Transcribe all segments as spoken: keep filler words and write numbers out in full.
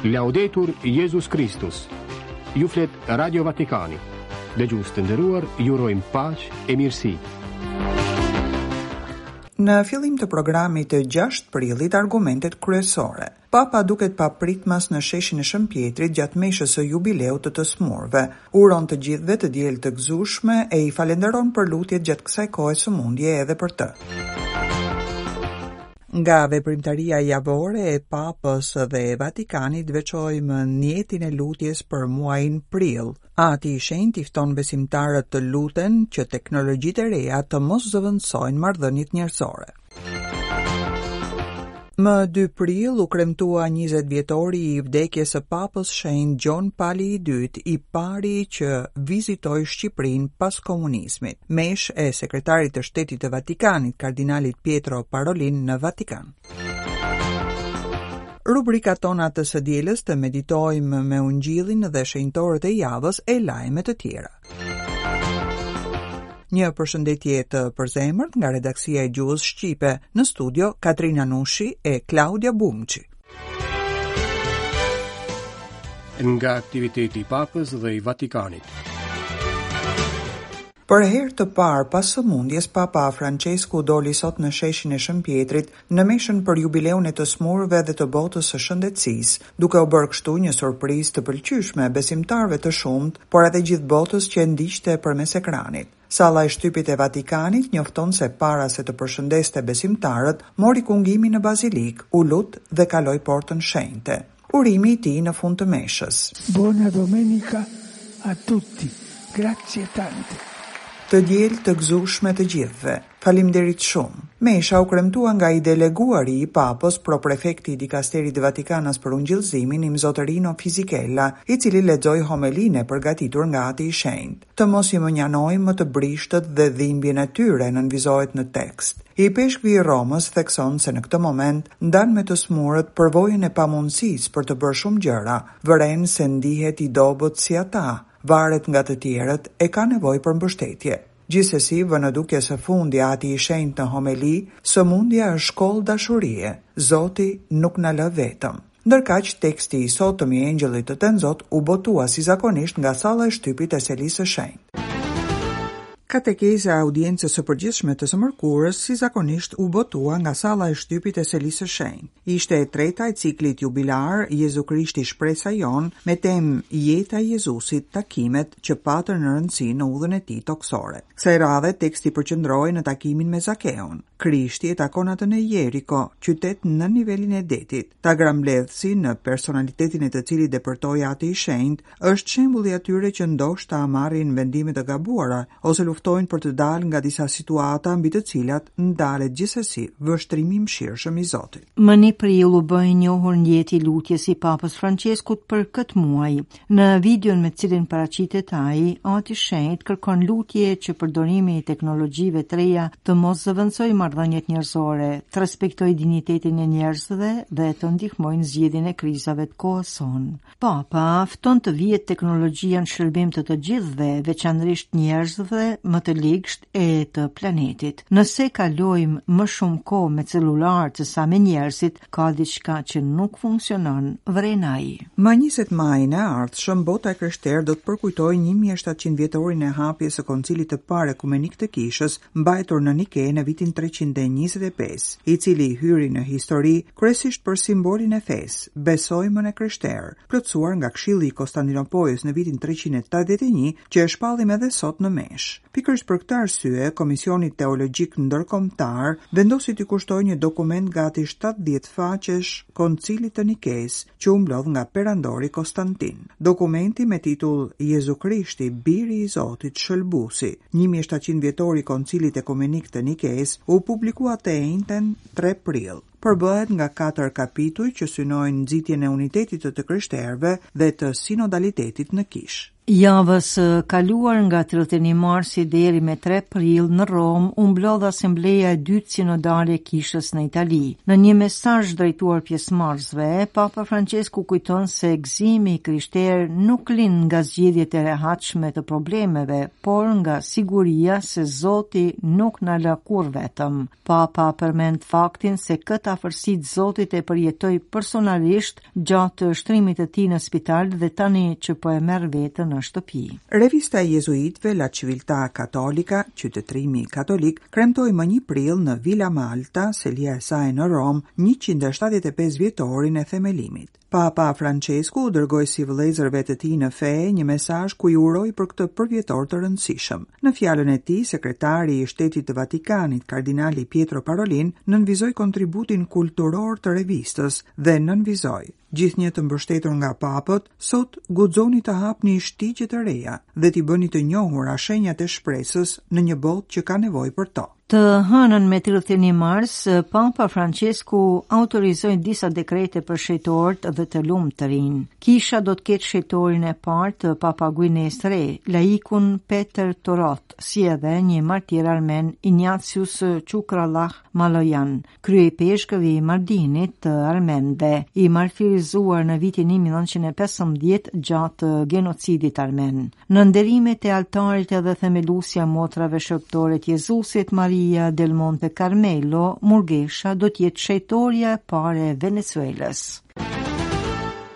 Laudetur Jezus Kristus. Ju flet Radio Vatikani. Dëgjues të nderuar, ju urojmë paqe e mirësi. Në fillim të programit të gjashtë prillit, argumentet kryesore. Papa duket papritmas në sheshin e Shën Pjetrit gjatë meshës së jubileut të të smurve. Uron të gjithëve të diel të gëzueshme e i falenderon për lutjet gjatë kësaj kohe sëmundje edhe për të. Nga veprimtaria javore e Papës dhe e Vatikanit veçojmë njetin e lutjes për muajin prill. Ati i Shenjtë i fton besimtarët të luten që teknologjitë e reja të mos zëvendësojnë marrëdhëniet njerëzore. Më dy prill u kremtua njëzet vjetori i vdekjes së Papës Shenjt Gjon Pali i dytë, i pari që vizitoi Shqipërinë pas komunizmit. Mesh e sekretarit të Shtetit të Vatikanit, kardinalit Pietro Parolin në Vatikan. Rubrikat tona të së dielës të meditojmë me Ungjillin dhe shenjtorët e javës e lajme të tjera. Një përshëndetje të përzemërt nga redaksia e gjuhës shqipe, në studio Katrina Nushi e Klaudia Bumçi. Nga aktiviteti i Papës dhe i Vatikanit. Për herë të parë pas sëmundjes, Papa Francesku doli sot në sheshin e Shën Pjetrit në meshën për jubileun e të smurve dhe të botës së shëndetësisë, duke u bërë kështu një surprizë të pëlqyeshme besimtarëve të shumtë, por edhe gjithë botës që e ndiqte përmes ekranit. Salla e shtypit e Vatikanit njofton se para se të përshëndeste besimtarët, mori kungimin në bazilik, u lut dhe kaloi portën shenjte. Urimi i tij në fund të meshës. Buona domenica a tutti. Grazie tante. Të diel të gëzueshme të gjithëve. Faleminderit shumë. Mesha u kremtua nga i deleguari i Papës, proprefekti i dikasterit Vatikanas për Ungjillëzimin, Imzotërino Fisichella, i cili lexoi homelinë e përgatitur nga Ati i Shenjtë. Të mos i mënjanojmë më të brishtët dhe dhimbjen e tyre, nënvizohet në tekst. I peshkvi i Romës thekson se në këtë moment ndan me të smurët përvojën e pamundësisë për të bërë shumë gjëra, vëren se ndihet i dobët si ata, varet nga të tjerët e ka nevojë për mbështetje. Gjithsesi, vë në dukje së fundi Ati i Shenjtë në homeli, sëmundja është shkollë dashurie, Zoti nuk na lë vetëm. Ndërkaq, teksti i sotëm i Engjëllit të Tenzot u botua si zakonisht nga salla e shtypit e Selisë së Shenjtë. Katekeza e audiencës së përgjithshme të së mërkurës si zakonisht u botua nga salla e shtypit e Selisë së Shenjtë. Ishte e treta e ciklit jubilar Jezu Krishti shpresa jon me temë Jeta e Jezusit, takimet që patën në rëndësi në udhën e tij tokësore. Kësaj radhe teksti përqendrohej në takimin me Zakeun. Krishti e takon atë në Jeriko, qytet në nivelin e detit. Tagrambledhësi, në personalitetin e të cilit depërtoi Ati i Shenjtë, është shembulli i atyre që ndoshta marrin vendime të gabuara ose luftojnë për të dalë nga disa situata mbi të cilat ndalet gjithsesi vështrimi i mëshirshëm i Zotit. Më një prill u bë i njohur ndjeti i lutjes i Papës Franceskut për këtë muaj. Në videon me cilin paraqitet ai, Ati i Shenjtë kërkon lutje që përdorimi i teknologjive të reja të mos zëvendësojë marrëdhëniet njerëzore, të respektojë dinjitetin e njerëzve dhe të ndihmojë në zgjidhjen e krizave të kohës sonë. Papa fton të vihet teknologjia në shërbim të të gjithëve, veçanërisht njerëzve më të ligsht e të planetit. Nëse kalojmë më shumë kohë me celular se sa me njerëzit, ka diçka që nuk funksionon, vren ai. Më njëzet majin e ardhshëm, bota e krishterë do të përkujtojë një mijë e shtatëqind vjetorin e hapjes së Koncilit të Parë Ekumenik të Kishës, mbajtur në Nike në vitin treqind e njëzet e pesë, i cili hyri në histori kryesisht për simbolin e fesë, besojmën e krishterë, plotësuar nga Këshilli i Konstantinopojës në vitin treqind e tetëdhjetë e një, që e shpallim edhe sot në meshë. Pikërisht për këtë arsye, Komisioni Teologjik Ndërkombëtar vendosi t'i kushtojë një dokument gati shtatëdhjetë faqesh Koncilit të Nikes, që u mblodh nga perandori Konstantin. Dokumenti me titull Jezu Krishti, Biri i Zotit, Shëlbusi, një mijë e shtatëqind vjetori i Koncilit Ekumenik të Nikes, u publikua të enjten tre prill. Përbëhet nga katër kapituj që synojnë nxitjen e unitetit të të krishterëve dhe të sinodalitetit në kishë. Javës së kaluar nga tridhjetë e një marsi deri me tre prill në Romë u mblodh asambleja e dytë sinodale e kishës në Itali. Në një mesazh drejtuar pjesëmarrësve, Papa Francesku kujton se gëzimi i krishterë nuk lind nga zgjidhjet e rehatshme të problemeve, por nga siguria se Zoti nuk na lë kurrë vetëm. Papa përmend faktin se këtë afërsi të Zotit e përjetoi personalisht gjatë shtrimit të tij në spital dhe tani që po e merr veten në shtëpi. Revista e jezuitëve La Civiltà Cattolica, qytetërimi katolik, kremtoi më një prill në Villa Malta, selia e saj në Romë, njëqind e shtatëdhjetë e pesë vjetorin e themelimit. Papa Francesku u dërgoi si vëllezërve të tij në fe një mesazh ku i uroi për këtë përvjetor të rëndësishëm. Në fjalën e tij, sekretari i Shtetit të Vatikanit, kardinali Pietro Parolin, nënvizoi kontributin kulturor të revistës dhe nënvizoi: gjithnjë të mbështetur nga papët, sot guxoni të hapni shtigje të reja dhe t'i bëni të njohura shenjat e shpresës në një botë që ka nevojë për to. Të hënën me tridhjetë e një mars, Papa Francesku autorizoi disa dekrete për shejtorët dhe të lumtërin. Kisha do të ketë shejtorin e parë të Papa Guinesë të Re, laikun Peter Torot, si edhe një martir armen, Ignatius Çukrallah Malojan, kryepeshkëvi i Mardinit të Armenëve, i martirizuar në vitin një mijë e nëntëqind e pesëmbëdhjetë gjatë genocidit armen. Në nderimet e altarit edhe themelusja motrave shërbëtore të Jezusit, Maria del Monte Carmelo, Murgesha, do të jetë shejtoria e parë e Venezuelës.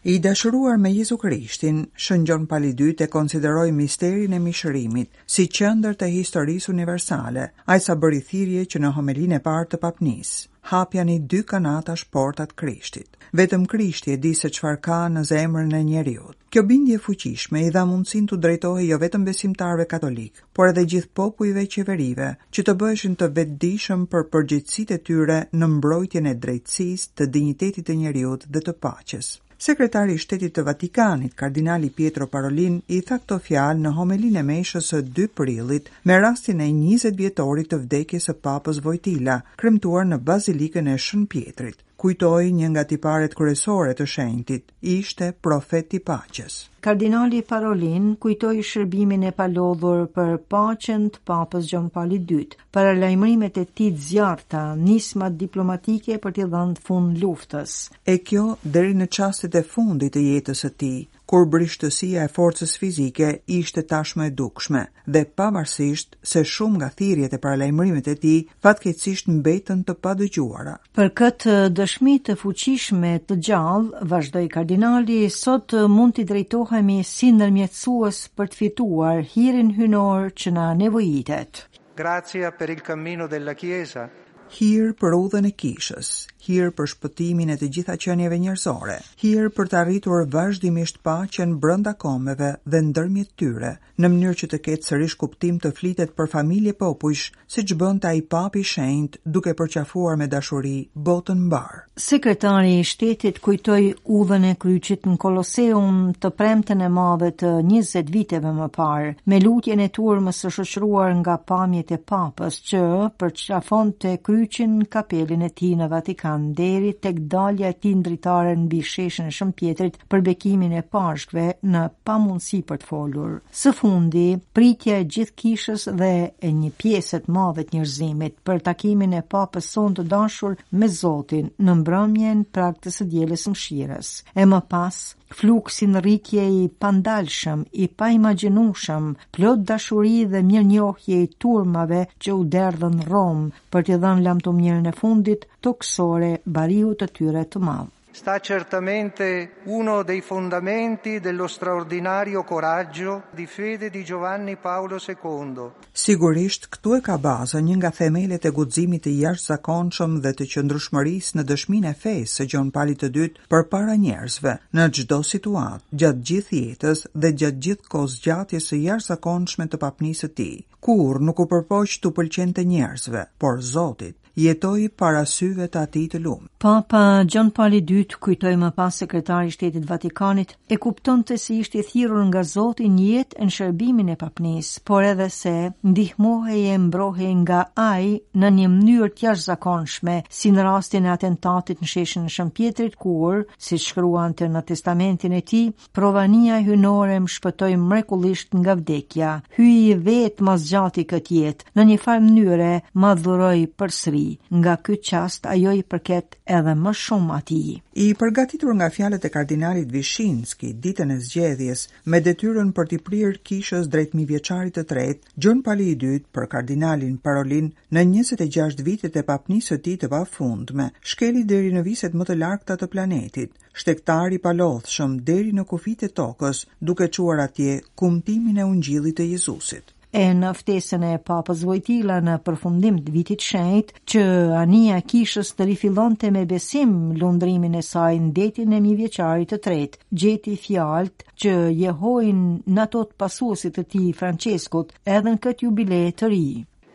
I dashuruar me Jezu Krishtin, Shën Gjon Pali i Dytë e konsideroi misterin e mishërimit si qendër të historisë universale, ai sa bëri thirrje që në homelinë e parë të papnisë, hapjani dy kanatash portat Krishtit. Vetëm Krishti e di se çfarë ka në zemrën e njeriut. Kjo bindje e fuqishme i dha mundësinë t'u drejtohej jo vetëm besimtarëve katolik, por edhe gjithë popujve e qeverive, që të bëheshin të vetëdijshëm për përgjegjësitë e tyre në mbrojtjen e drejtësisë, të dinjitetit të njeriut dhe të paqes. Sekretari i Shtetit të Vatikanit, kardinali Pietro Parolin, i tha këto fjalë në homelinë e meshës së dy prillit me rastin e njëzet vjetorit të vdekjes së Papës Vojtila, kremtuar në Bazilikën e Shën Pietrit. Kujtoi një nga tiparet kryesore të shenjtit, ishte profet i paqes. Kardinali Parolin kujtoi shërbimin e palodhur për paqen të Papës Gjon Pali i Dytë, paralajmërimet e tij të zjarrta, nismat diplomatike për t'i dhënë fund luftës. E kjo deri në çastet e fundit të jetës së tij, kur brishtësia e forcës fizike ishte tashmë e dukshme, dhe pavarësisht se shumë nga thirrjet e paralajmërimet e tij fatkeqësisht mbetën të padëgjuara. Për këtë dëshmi të fuqishme të gjallë, vazhdoi kardinali, sot mund t'i drejtohemi si ndërmjetësues për të fituar hirin hynor që na nevojitet. Grazia per il cammino della Chiesa. Hir për udhën e kishës, hir për shpëtimin e të gjitha qenieve njerëzore, hir për të arritur vazhdimisht paqen brenda kombeve dhe ndërmjet tyre, në mënyrë që të ketë sërish kuptim të flitet për familje popujsh, siç bënte ai papi i shenjtë, duke përqafuar me dashuri botën mbar. Sekretari i Shtetit kujtoi udhën e kryqit në Koloseum të premten e madhe të njëzet viteve më parë, me lutjen e turmës së shoqëruar nga pamjet e papës që përqafonte kryqin në kapelin e tij në Vatikan deri tek dalja e tij ndritare mbi sheshin e Shën Pietrit për bekimin e Pashkëve në pamundësi për të folur. Së fundi, pritja e gjithë kishës dhe e një pjese të madhe të njerëzimit për takimin e papës sonë të dashur me Zotin në mbrëmjen prag të së dielës së mëshirës. E më pas, fluksi në rritje i pandalshëm, i paimagjinueshëm, plot dashuri dhe mirënjohje i turmave që u derdhën në Romë për t'i dhënë lamtumirën e fundit tokësore bariut të tyre të madh. Sta certamente uno dei fondamenti dello straordinario coraggio di fede di Giovanni Paolo secondo. Sigurisht, këtu e ka bazën një nga themelet e guximit të jashtëzakonshëm dhe të qëndrueshmërisë në dëshminë e fesë së Gjon Palit të Dytë përpara njerëzve, në çdo situatë, gjatë gjithë jetës dhe gjatë gjithë kohëzgjatjes së jashtëzakonshme të papnisë së tij. Kurrë nuk u përpoq t'u pëlqente njerëzve, por Zotit, jetoi para syve të atij të lumë. Papa Gjon Pali i II, kujtoi më pas sekretari i Shtetit Vatikanit, e kuptonte se ishte i thirrur nga Zoti në jetë e në shërbimin e papnisë, por edhe se ndihmohej e mbrohej nga ai në një mënyrë të jashtëzakonshme, si në rastin e atentatit në sheshin e Shën Pjetrit, kur, siç shkruante në testamentin e tij, provania hyjnore më shpëtoi mrekullisht nga vdekja. Hyji vetë ma zgjati këtë jetë, në një farë mënyre ma dhuroi përsëri. Nga ky çast ajo i përket edhe më shumë atij. I përgatitur nga fjalët e kardinalit Vishinski ditën e zgjedhjes me detyrën për t'i prirë kishës drejt mijëvjeçarit të tretë, Gjon Pali i Dytë për kardinalin Parolin në njëzet e gjashtë vitet e papnisë së tij të pafundme, shkeli deri në viset më të largëta të planetit, shtegtar i palodhshëm deri në kufijtë e tokës, duke çuar atje kumtimin e Ungjillit të Jezusit. E në ftesën e Papës Vojtila në përfundim të vitit shenjt, që anija e kishës të rifillonte me besim lundrimin e saj në detin e mijëvjeçarit të tretë, gjeti fjalët që jehojnë në ato të pasuesit të tij Franceskut edhe në këtë jubile të ri.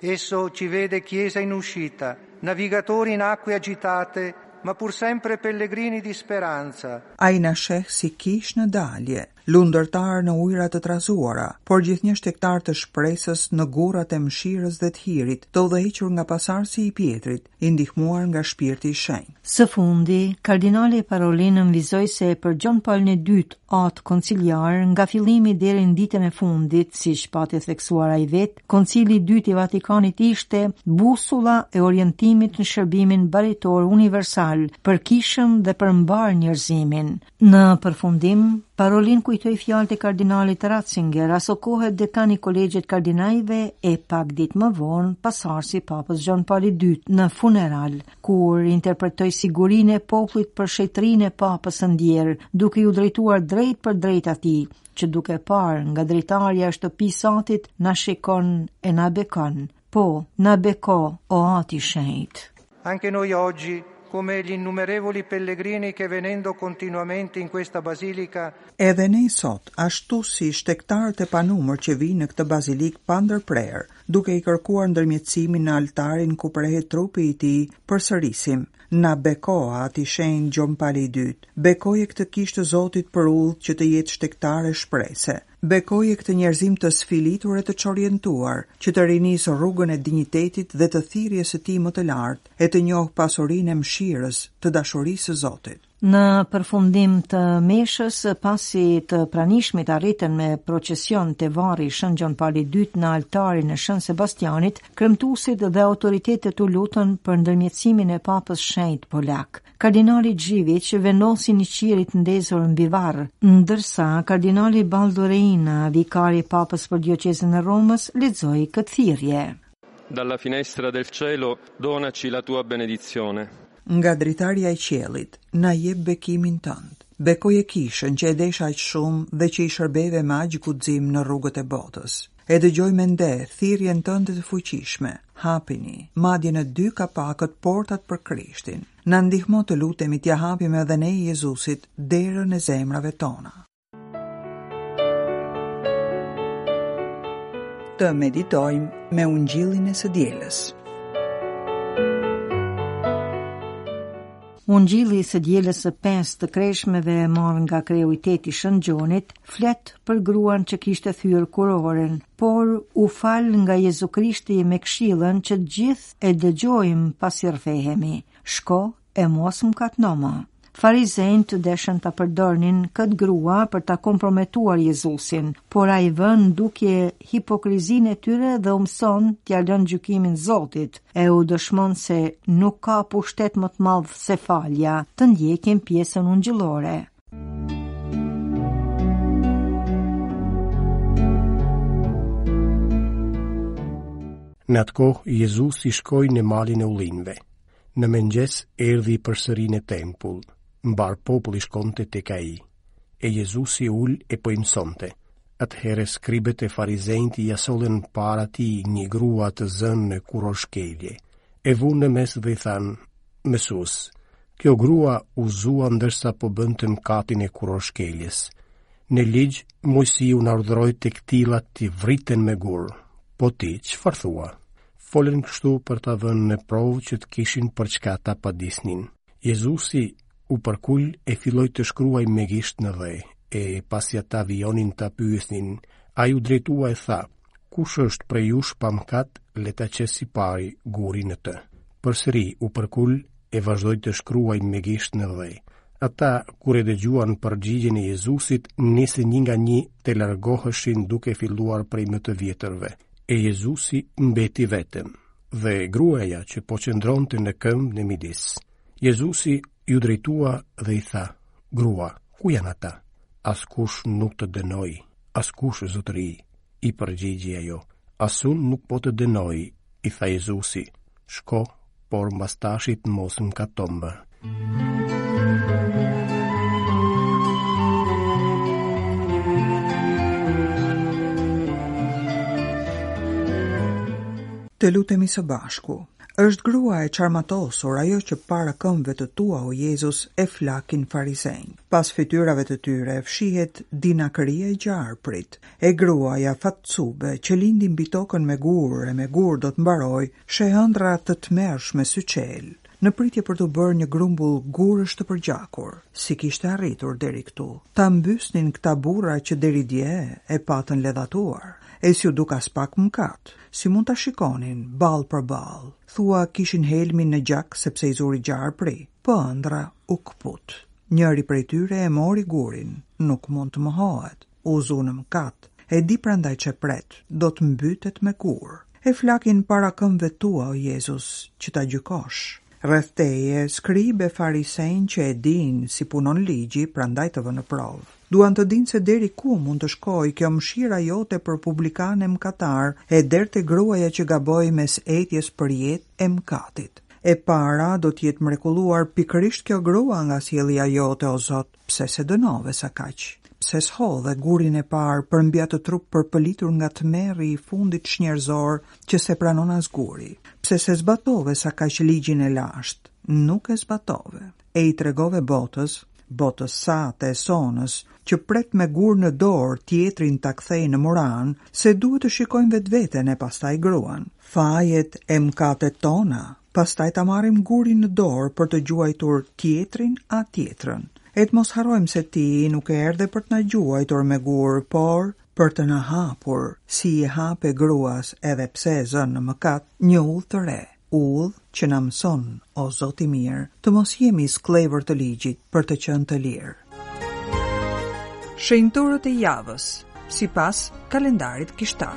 Esso ci vede chiesa in uscita, navigatori in acque agitate, ma pur sempre pellegrini di speranza. Ai na sheh si kishë në dalje, lundërtar në ujëra të trazuara, por gjithnjë shtegtar të shpresës në gurrat e mëshirës dhe të hirit, të udhëhequr nga pasardhësi i Pjetrit, i ndihmuar nga Shpirti i Shenjtë. Së fundi, kardinali Parolin nënvizoi se për Gjon Paulin e Dytë, atë konciliar, nga fillimi deri në ditën e fundit, siç pati theksuar ai vetë, Koncili i Dytë i Vatikanit ishte busulla e orientimit në shërbimin baritor universal për kishën dhe për mbar njerëzimin. Në përfundim, Parolin kujtoi fjalët e kardinalit Ratzinger, asokohe dekan i kolegjit kardinajve e pak ditë më vonë pasardhësi i Papës Gjon Pali i Dytë në funeral, kur interpretoi sigurinë e popullit për shenjtërinë e Papës së ndjerë, duke ju drejtuar drejt për drejt atij, që duke parë nga dritarja e shtëpisë atit na shikon e na bekon. Po, na beko, o Ati Shenjt. Anche noi oggi, come gli innumerevoli pellegrini che venendo continuamente in questa basilica, Edhe ne sot, ashtu si shtegtarët e panumër që vijnë në këtë bazilik pa ndërprerë, duke i kërkuar ndërmjetësimin në altarin ku prehet trupi i tij, përsërisim: Na beko, Ati Shenjt Gjon Pali i Dytë, bekoje këtë kishë të Zotit për udhë që të jetë shtegtare shprese. Bekoje këtë njerëzim të sfilitur e të çorientuar, që të rinisë rrugën e dinjitetit dhe të thirrjes së tij më të lartë, e të njohë pasurinë e mëshirës, të dashurisë së Zotit. Në përfundim të meshës, pasi të pranishmit arritën me procesion te varri Shën Gjon Pali i Dytë në altarin e Shën Sebastianit, kremtuesit dhe autoritetet u lutën për ndërmjetësimin e Papës Shenjt Polak. Kardinali Dziwisz vendosi një qiri të ndezur mbi varr, ndërsa kardinali Baldo Reina, vikari i Papës për dioqezën e Romës, lexoi këtë thirrje. Dalla finestra del cielo donaci la tua benedizione. Nga dritarja e qiellit, na jep bekimin tënd. Bekoje kishën që e desha aq shumë dhe që i shërbeve me aq guxim në rrugët e botës. E dëgjoj me nder thirrjen tënde të fuqishme. Hapini, madje në dy kapakët portat për Krishtin. Na ndihmo të lutemi t'ia hapim edhe ne Jezusit derën e zemrave tona. Të meditojmë me Ungjillin e së dielës. Ungjilli i së dielës së pestë të kreshmeve e marrë nga kreu i tetë i Shën Gjonit, flet për gruan që kishte thyer kurorën, por u fal nga Jezu Krishti me këshillën që të gjithë e dëgjojmë pasi rrëfehemi. Shko e mos mëkatno më. Farizenjtë deshën ta përdornin këtë grua për ta komprometuar Jezusin, por ai vë në dukje hipokrizinë e tyre dhe u mëson t'ia lënë gjykimin Zotit, e u dëshmon se nuk ka pushtet më të madh se falja, të ndjekin pjesën ungjillore. Në atë kohë, Jezusi shkoi në malin e ullinjve. Në mëngjes erdhi përsëri në tempull. Mbar populli shkonte tek ai. E Jezusi ul e po i mësonte. Atëherë skribët e farizenjtë ia sollën para tij një grua të zënë në kurorshkelje. E vunë në mes dhe i thanë: Mësues, kjo grua u zua ndërsa po bënte mëkatin e kurorshkeljes. Në ligj, Moisiu na urdhëroi të këtilla t'i vriten me gur. Po ti, çfarë thua? Folën kështu për ta vënë në provë që të kishin për çka ta padisnin. Jezusi U përkul e filloi të shkruajë me gisht në dhe, e pasi ata vijonin ta pyesnin, ai u drejtua e tha: Kush është prej jush pa mëkat, le ta qesë i pari gurin në të. Përsëri u përkul e vazhdoi të shkruajë me gisht në dhe. Ata, kur e dëgjuan përgjigjen e Jezusit, nisën një nga një të largoheshin duke filluar prej më të vjetërve. E Jezusi mbeti vetëm, dhe gruaja që po qëndronte në këmbë në midis. Jezusi iu drejtua dhe i tha: Grua, ku janë ata? Askush nuk të dënoi, askush, zotëri, i përgjigji ajo. As unë nuk po të dënoj, i tha Jezusi. Shko, por mbas tashit mos mëkato më. Të lutemi së bashku. Është grua e çarmatosur ajo që para këmbëve të tua, o Jezus, e flakin farisenj. Pas fytyrave të tyre fshihet dinakëria e gjarprit. E gruaja fatcube që lindi mbi tokën me gur e me gur do të mbaroj, sheh ëndra të tmerrshme syçel, në pritje për të bërë një grumbull gurësh të përgjakur. Si kishte arritur deri këtu? Ta mbysnin këta burra që deri dje e patën ledhatuar. E si u duk as pak mëkat, si mund ta shikonin ball për ball. Thua kishin helmin në gjak sepse i zuri gjarpri, po ëndra u kput. Njëri prej tyre e mori gurin, nuk mund të mohohet, u zu në mëkat, e di prandaj që pret, do të mbytet me gur. E flakin para këmbëve tua, o Jezus, që ta gjykosh. Rreth teje, skribe farisenj që e din si punon ligji, prandaj të vë në provë. Duan të dinë se deri ku mund të shkojë kjo mëshira jote për publikanë e mëkatar, e deri te gruaja që gaboi mes etjes për jetë e mëkatit. E para do të jetë mrekulluar pikërisht kjo grua nga sjellja jote, o Zot, pse se dënove sa kaq? Pse s'hodhe gurin e parë përmbi atë trup përpëlitur nga tmerri i fundit çnjerëzor që se pranon as guri? Pse se zbatove sa kaq ligjin e lashtë? Nuk e zbatove. E i tregove botës, botës sate e sonës, që pret me gur në dorë tjetrin ta kthej në muran, se duhet të shikojmë vetveten e pastaj gruan. Fajet e mëkatet tona, pastaj ta marrim gurin në dorë për të gjuajtur tjetrin a tjetrën. E të mos harrojmë se ti nuk erdhe për të na gjuajtur me gur, por për të na hapur, si i hape gruas edhe pse e zën në mëkat, një udhë të re, udhë që na mëson, o Zot i mirë, të mos jemi skllevër të ligjit për të qenë të lirë. Shenjtorët e javës, sipas kalendarit kishtar.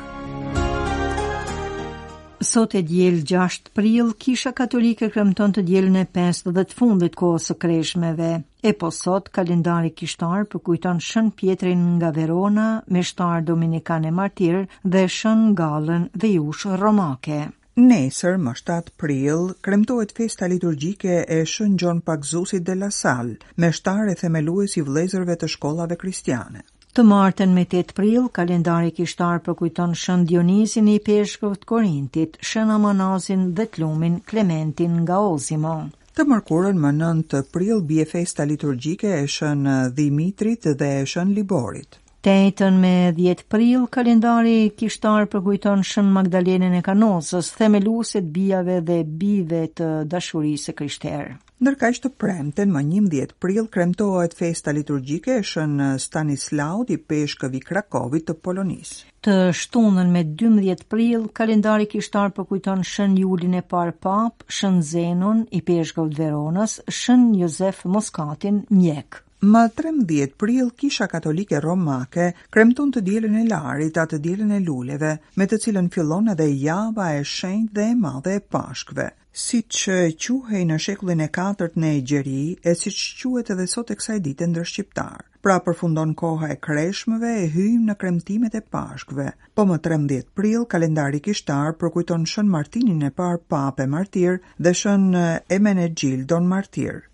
Sot e diel gjashtë prill, Kisha Katolike kremton të dielën e pestë dhe të fundit kohës së kreshmeve. E po sot, kalendari kishtar përkujton Shën Pjetrin nga Verona, meshtar dominikan e martir, dhe Shën Gallën dhe Jush Romake. Nesër, më shtatë prill, kremtohet festa liturgjike e Shën Gjon Pagzusit de la Salle, meshtar e themelues i vëllezërve të shkollave kristiane. Të martën me tetë prill, kalendari kishtar përkujton Shën Dionizin i Peshkov të Korintit, Shën Amanazin dhe të lumin Klementin nga Ozimo. Të mërkurën më nëntë prill bie festa liturgjike e Shën Dhimitrit dhe e Shën Liborit. Të enjten me dhjetë prill, kalendari kishtar përkujton Shën Magdalenën e Kanosës, themelueset bijave dhe bijve të dashurisë së krishterë. Ndërkaq të premten më njëmbëdhjetë prill kremtohet festa liturgjike e Shën Stanislaut i Peshkëv i Krakovit të Polonisë. Të shtunën me dymbëdhjetë prill, kalendari kishtar përkujton Shën Julin e parë Pap, Shën Zenon i Peshkëv të Veronës, Shën Josef Moskatin, mjek. Më trembëdhjetë prill, Kisha Katolike Romake kremton të dielën e Larit, atë dielën e luleve, me të cilën fillon edhe java e shenjtë dhe e madhe e Pashkëve. Siç quhej në shekullin e katërt në Egjeri, e siç quhet edhe sot e kësaj dite ndër shqiptar. Pra përfundon koha e kreshmëve e hyjmë në kremtimet e Pashkëve. Po më trembëdhjetë prill, kalendari kishtar përkujton Shën Martinin e parë Papë e Martir dhe Shën Emenegjildon Martir.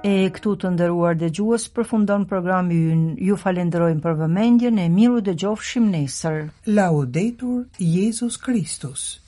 E këtu të nderuar dëgjues përfundon programi ynë. Ju falenderojmë për vëmendjen e miru dëgjofshim nesër. Laudetur Jezus Kristus.